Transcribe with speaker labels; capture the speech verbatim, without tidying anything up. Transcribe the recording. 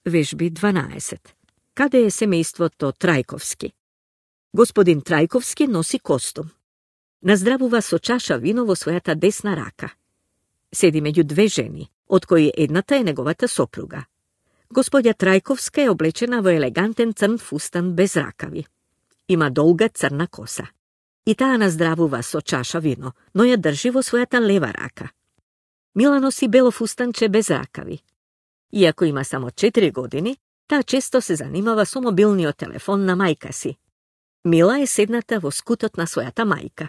Speaker 1: Vežbi dvanaest. Kada je semejstvo to Trajkovski? Gospodin Trajkovski nosi kostum. Na zdravu vas očaša vinovo svojata desna raka. Sedi među dve ženi, od koji jednata je negovata sopruga. Gospodja Trajkovska je oblečena v eleganten crn fustan bez rakavi. Ima dolga crna kosa. I ta na zdravu vas očaša vino, no je drživo svojata leva raka. Mila nosi belo fustanče bez rakavi. Iako ima samo četiri godini, ta često se zanimava so mobilnio telefon na majka si. Mila je sednata vo skutotna svojata majka.